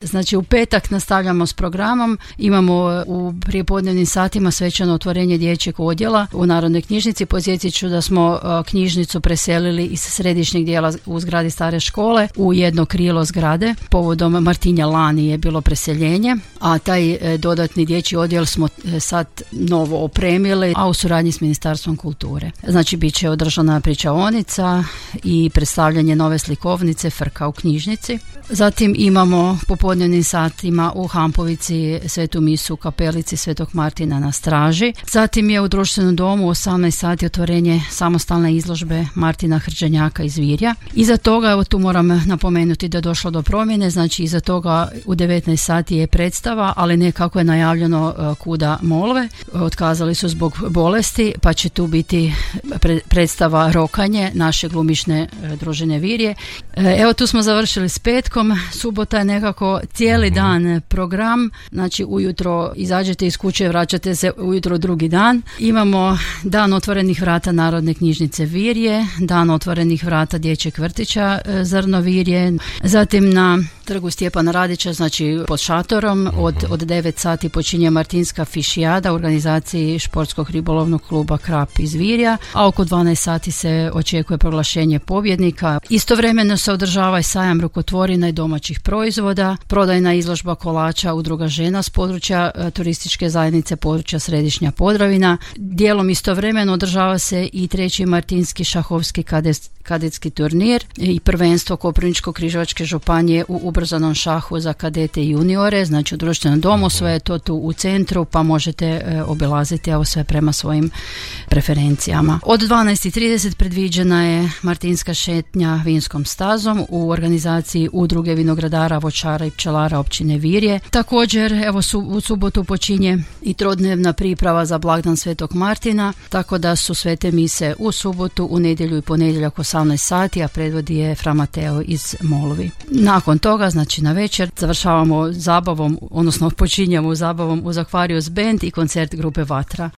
Znači u petak nastavljamo s programom, imamo u prijepodnevnim satima svečano otvorenje dječjeg odjela u Narodnoj knjižnici. Podsjetit ću da smo knjižnicu preselili iz središnjeg dijela u zgradi stare škole u jedno krilo zgrade. Povodom Martinja lani je bilo preseljenje, a taj dodatni dječji odjel smo sad novo opremili, a u suradnji s Ministarstvom kulture. Znači bit će održana pričaonica i predstavljanje nove slikovnice Frka u knjižnici. Zatim imamo popodnevnim satima u Hampovici svetu misu u kapelici Svetog Martina na Straži. Zatim je u društvenom domu u 18 sati otvorenje samostalne izložbe Martina Hrđenjaka iz Virja. Iza toga, evo tu moram napomenuti da je došlo do promjene, znači iza toga u 19 sati je predstava, ali ne kako je najavljeno Kuda molve. Otkazali su zbog bolesti, pa će tu biti predstava Rokanje naše glumišne družine Virje. Evo tu smo završili s petkom. Subota je nekako cijeli dan program, znači ujutro izađete iz kuće, vraćate se ujutro drugi dan. Imamo dan otvorenih vrata Narodne knjižnice Virje, dan otvorenih vrata dječjeg vrtića Zrno Virje, zatim na trgu Stjepana Radića, znači pod šatorom od 9 sati počinje Martinska fišijada u organizaciji športskog ribolovnog kluba Krap iz Virja, a oko 12 sati se očekuje proglašenje pobjednika. Istovremeno se održava i sajam rukotvorina i domaćih proizvoda, prodajna izložba kolača Udruga žena s područja turističke zajednice područja Središnja Podravina. Dijelom istovremeno održava se i 3. Martinski šahovski kadetski turnir i prvenstvo Koprivničko-križevačke županije u ubrzanom šahu za kadete i juniore, znači u društvenom domu, sve je to tu u centru, pa možete obilaziti ovo sve prema svojim preferencijama. Od 12:30 predviđena je Martinska šetnja vinskom stazom u organizaciji Udruge vinogradara, voćara i pčelara općine Virje. Također, evo u subotu počinje i trodnevna priprava za blagdan Svetog Martina, tako da su svete mise u subotu, u nedjelju i ponedjeljak 18 sati, a predvodi je Fra Mateo iz Molvi. Nakon toga, znači na večer, završavamo zabavom, odnosno počinjamo zabavom uz Aquarius Band i koncert grupe Vatra.